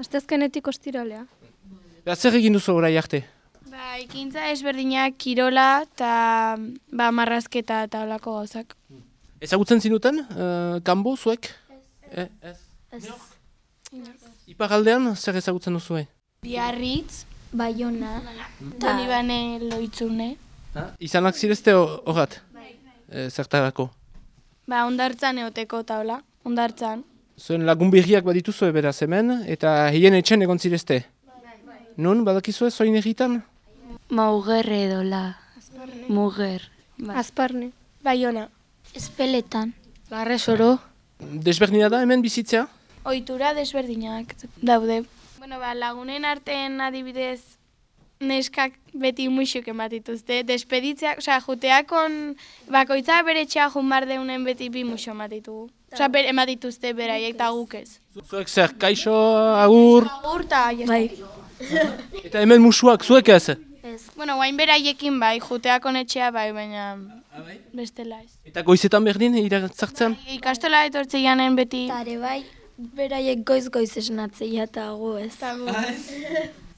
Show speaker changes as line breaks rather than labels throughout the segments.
Astezkenetik ostiralea.
Zer egin duzu orai arte?
Ekintza ezberdinak, kirola eta marrazketa eta olako gauzak.
Ezagutzen zinuten, kanbo zuek? Ez. Iparaldean zer ezagutzen duzue?
Biarritz,
Baiona,
Donibane Loitzune.
Izanak zirezte horrat? Zertarako?
Hondartzan eoteko taula, hondartzan.
Zuen lagun berriak badituzue beraz hemen, eta hien etxen egon zirezte? Nun, badakizue zoin egitan?
Mauger edola. Muger.
Azparne.
Baiona.
Espeletan.
Barresoro.
Desberdina da hemen bizitzea?
Ohitura desberdinak daude. Lagunen artean adibidez neskak beti muixuk ematituzte. Despeditzeak, juteakon bakoitza bere etxea junbar deunen beti bi muixo ematitugu. Ematituzte beraiek eta guk ez.
Zuek zer, kaixo, agur?
Agur eta
Bai.
Eta hemen musuak, zuek ez?
Guain beraiekin bai, juteakon etxea bai, baina bestela ez.
Eta goizetan berdin, iratzartzen?
Ikastola etortze janen beti.
Tare bai, beraiek goiz-goiz esnatzea eta gu ez.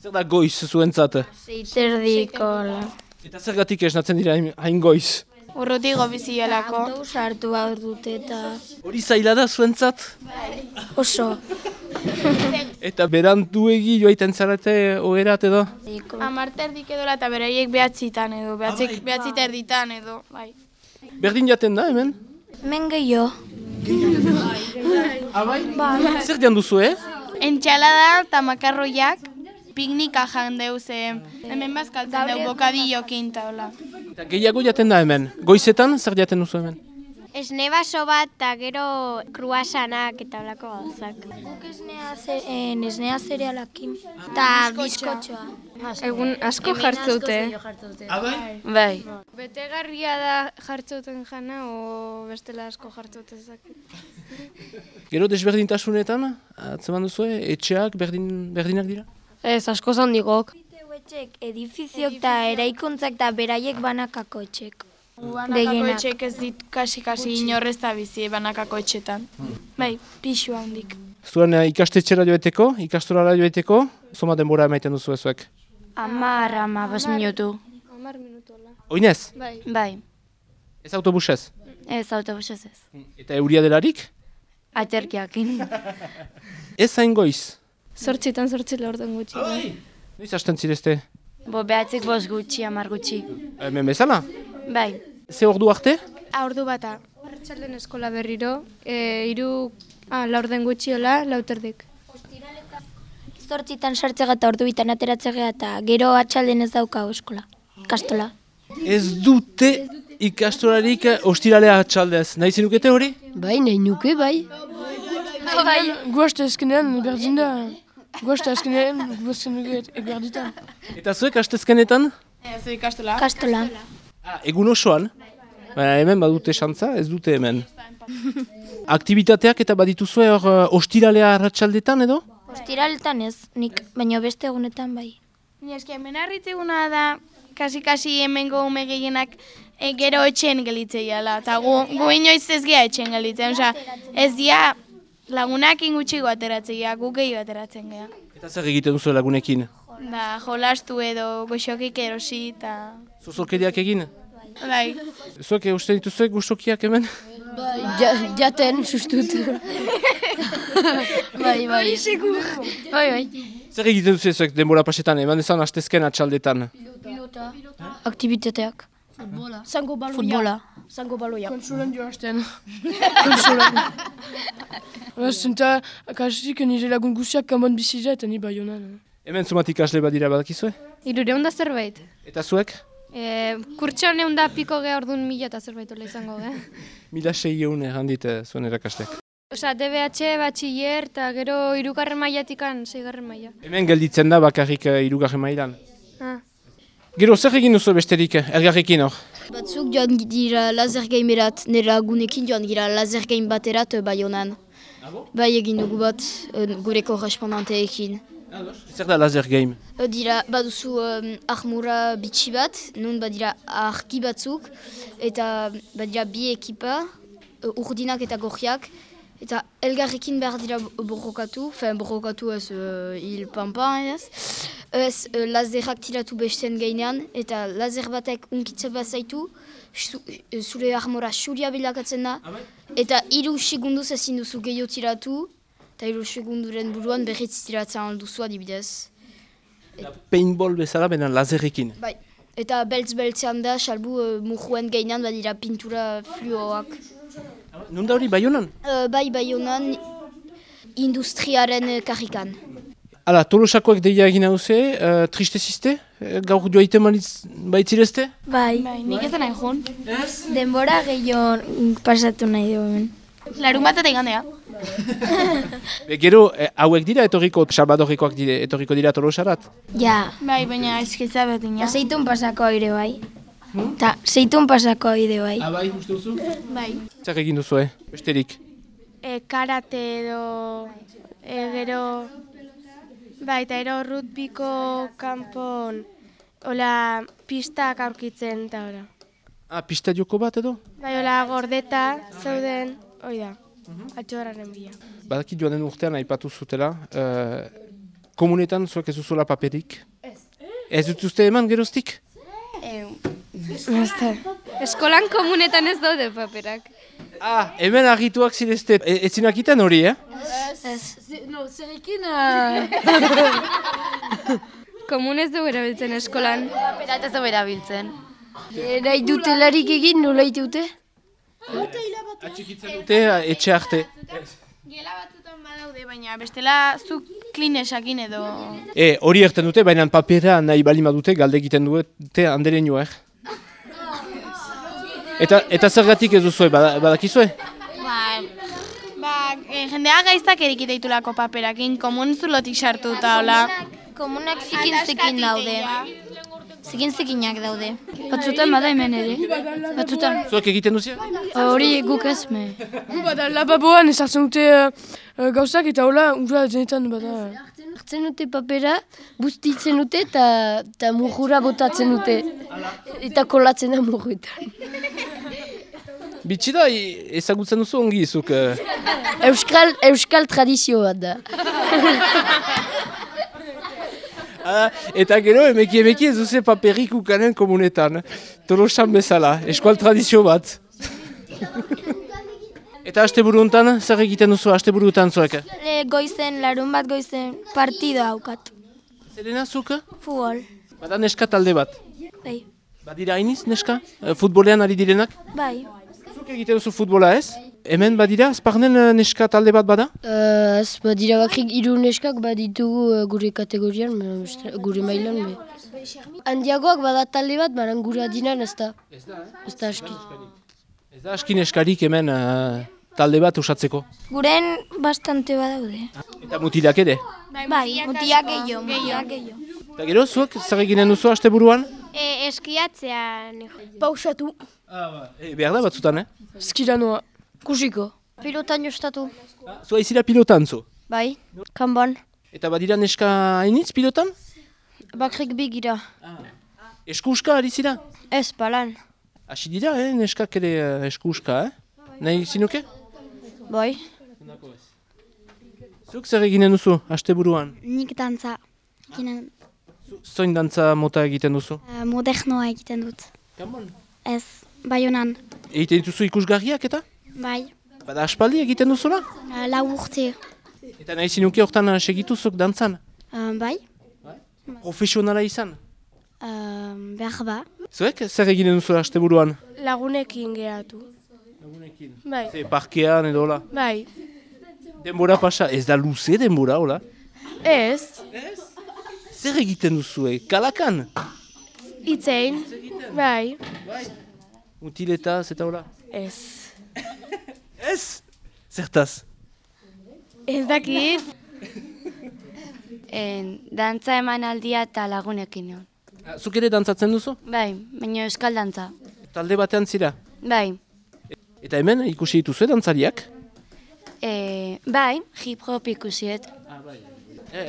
Zer da goiz zuentzat?
Seiterdiko.
Eta zergatik esnatzen dira hain goiz?
Urrutigo bizielako.
Autobus hartu behar dute eta
Hori zaila da zuentzat?
oso.
Eta beranduegi joaiten zarete oherat edo?
Amarterdik edola eta beraiek behatzitan edo, behatziterditan edo, bai.
Berdin jaten da hemen?
Men gehiago.
Zer dian duzu,
Entxalada eta makarroiak piknika jandeu ze hemen bazkaltzen dugu bokadillokin taula.
Eta gehiago jaten da hemen. Goizetan zer jaten duzu hemen?
Esne baso bat eta gero kruasanak eta olako gauzak. Guk esnea zerealakin. Eta bizkotxoa.
Egun asko jartzeute.
Bai.
Betegarria da jartzeuten jana o bestela asko jartzeutezak.
Gero desberdintasunetan, atzeman duzue, etxeak berdinak dira?
Ez, asko zandigok.
Etxek, edifizioak eta eraikuntzak eta beraiek banakako etxek.
Banakako etxek ez dit kasi inorrez da bizi banakako etxetan. Bai, pixu handik.
Zuen ikastetxera joeteko, ikastorara joeteko, zoma denbora emaiten duzu ezuek?
10-15 minutu.
10 minutola.
Oinez?
Bai.
Ez autobusez?
Ez autobusez ez.
Eta euria delarik?
Aterkiakin.
Ez hain goiz?
8 laurden gutxi.
Noiz hasten zirezte?
Behatzik 5 gutxi, 10 gutxi.
Hemen bezala?
Bai.
Ze ordu arte?
Ordu bata.
Arratsalden eskola berriro, 3 laurden gutxiola, 4:00.
Zortzitan sartzega eta ordu bitan ateratzega eta gero atxalden ez dauka eskola. Kastola.
Ez dute ikastorarik ostiralea atxaldez. Nahi zenukete hori?
Bai, nahi nuke, bai.
Guazta eskenean berdin da. Guazta eskenean berditan.
Eta zuek astezkenetan?
Ez ikastola.
Kastola.
Egun osoan? Hemen badute xantza, ez dute hemen. Aktibitateak eta badituzue hor ostiralea arratsaldetan edo?
Ostiraletan ez, nik, baina beste egunetan bai.
Hemen harritzeguna da, kasi hemengo ume gehienak gero etxen gelitzeiala. Eta gu inoiz ez gea etxen gelitzen. Ez dia lagunak ingutxigo ateratzeia, gu gehiago ateratzen gea.
Eta zer egiten duzu lagunekin?
Jolastu edo goxokik erosi eta...
Zozorkeriak egin?
Bai.
Zuek uste dituzuek goxokiak hemen?
Jaten, sustut. Bai. Bai.
Zer egiten duzu zuek denbora pasetan, eman dezan astezken atxaldetan?
Aktivitateak. Futbola.
Zango baloia. Konsulan joazten. Konsulan. Zenta, kasik nire lagun guziak kanban bizitza eta ni Baionan.
Hemen zumat ikasle badira badakizue?
300 zerbait.
Eta zuek?
Kurtsa honeun da piko geha orduan 1000 eta zerbait ola izango,
1600 errandit zuen erakastek.
Osa, DBH, batxiller, eta gero 3. mailatikan 6. maila.
Hemen gelditzen da bakarrik 3. mailan. Gero zer egin duzu besterik, elgarrekin hor?
Batzuk joan dira laser gamerat, nire lagunekin joan gira laser game baterat Baionan. Bai egin dugu bat gure korrespondanteekin.
Zer da laser game?
Dira, baduzu armura bitxi bat, nun badira argi batzuk, eta badira bi ekipa, urdinak eta gorriak, Eta elgarrekin behar dira borrokatu, borrokatu ez hil pampan ez. Ez lazerak tiratu besten gainean, eta lazer batek unkitze bat zaitu, zure armora xuria bilakatzen da, eta 3 segunduz ezin duzu gehiago tiratu, eta 3 segunduren buruan berriz tiratzen alduzu adibidez.
Paintball bezala benen lazerrekin.
Bai, eta beltz-beltzean da, salbu mujuen gainean badira pintura fluoak.
Nunda hori Baionan?
Bai, Baionan industriaren karrikan.
Hala, Tolosakoak deia egin hauze, tristezizte? Gaur joaiten baitzirezte?
Bai, nik ez da nahi joan.
Denbora gehiago pasatu nahi dugu hemen.
Larun bat eta igandea.
Gero, hauek dira etorriko, Salvadorrekoak etorriko dira Tolosarat?
Ja.
Bai, baina eskitza betina.
Zeitun pasako aire bai. Ta, zeitun pasako aire bai.
Bai, uste duzu?
Bai.
Zer egin duzu, besterik?
Karate edo, gero, bai, eta ero rugbyko kanpon, hola, pistak aurkitzen eta hola.
Pista joko bat edo?
Bai, hola, gordeta, zeuden, hoi da, atxorraren bila.
Badakit joan den urtean aipatu zutela, komunetan zuek ez duzula paperik? Ez dutuzte eman geroztik?
Eskolan komunetan ez daude paperak.
Hemen argituak zirezte, ez zinakiten hori,
Zerrekin...
Komunez dugu erabiltzen eskolan.
Paperat ez dugu erabiltzen. Nahi dute larik egin, nola dute?
Atxikitzen dute etxe arte.
Gela batzutan badaude, baina bestela zuk klinesakin edo...
Hori erten dute, baina papera nahi balima dute, galde egiten dute handeren joa, Eta zergatik ez duzue, badakizue?
Jendea gaiztak erikiteitulako paperakin, komun zulotik sartu eta hola.
Komunak zikin daude. Zikinak daude. Batzutan bada hemen ere. Batzutan.
Zuek egiten duzia?
Hori guk ez me.
Bada lababoan ezartzen dute gauzak eta hola, ura denetan bada.
Hartzen dute papera, bustitzen dute eta murjura botatzen dute. Eta kolatzen da murruetan.
Bitxida, ezagutzen duzu ongi izuk.
Euskal tradizio bat da.
Eta gero, emeki ez duze paperik ukanen komunetan. Tolosan bezala, eskual tradizio bat. Eta asteburu honetan, zer egiten duzu asteburuetan zuek?
Goizen, larun bat goizen, partido haukat.
Zerena zuk?
Futbol.
Bada neska talde bat.
Bai.
Badira hainiz neska? Futbolean ari direnak?
Bai.
Zuk egiten duzu futbola ez? Hemen badira, Azparnen neska talde bat bada?
Ez badira bakrik 3 neskak baditugu gure kategorian, gure mailan. Handiagoak bada talde bat, baran gure adinan ez da. Ez da aski.
Ez da aski neskarik hemen talde bat usatzeko.
Guren bastante badaude.
Eta mutilak ere?
Bai, mutiak gehiago.
Eta gero, zuek zer eginen duzu asteburuan?
Eskiatzea.
Pausatu.
Behar da batzutan,
Skira noa.
Kusiko.
Pilotan jostatu.
Zua izira pilotan zu?
Bai, kanban.
Eta badira neska hainitz pilotan?
Bakrik bigira.
Eskuuska ari zira?
Ez, palan.
Hasi dira, neskak ere eskuuska, Nahi zinuke?
Bai.
Zuk zer eginen duzu, asteburuan?
Nik dantza.
Zoin dantza mota egiten duzu?
Modernoa egiten dut.
Kanbon?
Ez, Baionan.
Egiten duzu ikusgarriak eta?
Bai,
Bada aspaldi egiten duzula?
4 urte.
Eta nahi zinuke hortan segituzuk dantzan?
Bai,
Profesionala izan?
behar ba.
Zuek zer eginen duzu asteburuan?
Lagunekin geratu.
Lagunekin?
Bai.
Parkean edo hola?
Bai.
Denbora pasa, ez da luze denbora, hola?
Ez,
Zer egiten duzue? Kalakan?
itzein. Bai.
Mutiletaz eta hola?
Ez.
Ez? Zertaz?
Ez dakit.
Dantza eman aldia eta lagunekin.
Zuk ere dantzatzen duzu?
Bai, baina euskal dantza.
Talde batean zira?
Bai.
Eta hemen ikusi dituzue dantzariak?
Bai, hip-hop ikusiet.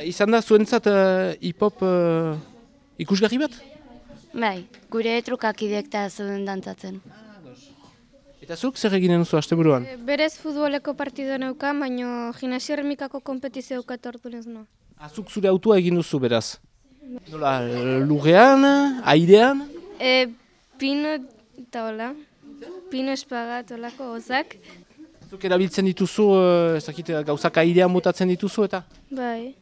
Izan da zuentzat hip-hop ikusgarri bat?
Bai, gure trukakidek eta zuen dantzatzen.
Eta zuk zer eginen duzu asteburuan?
Berez futboleko partido neukan, baina gimnasio erremikako kompetizio eukat ordunez no.
Azuk zure autua egin duzu beraz? Nola, lurrean, airean?
Pino eta hola. Pino espagat holako hozak.
Zuk erabiltzen dituzu, ez dakit, gauzak airean botatzen dituzu eta?
Bai.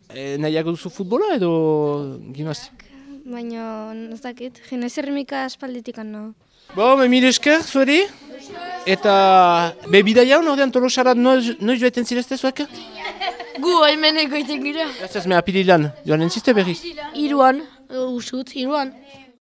Nahiago duzu futbola edo gimnasio?
Baina, ez dakit, gimnasio erremika aspalditik no.
Bo, mil esker, zueri? Eta, bidaia hon ordean Tolosarat noiz joeten zirezte zuek?
Gu hemen egoiten gira.
Ez ez, me apirilan, joan entziste berriz?
Iruan, usut, iruan.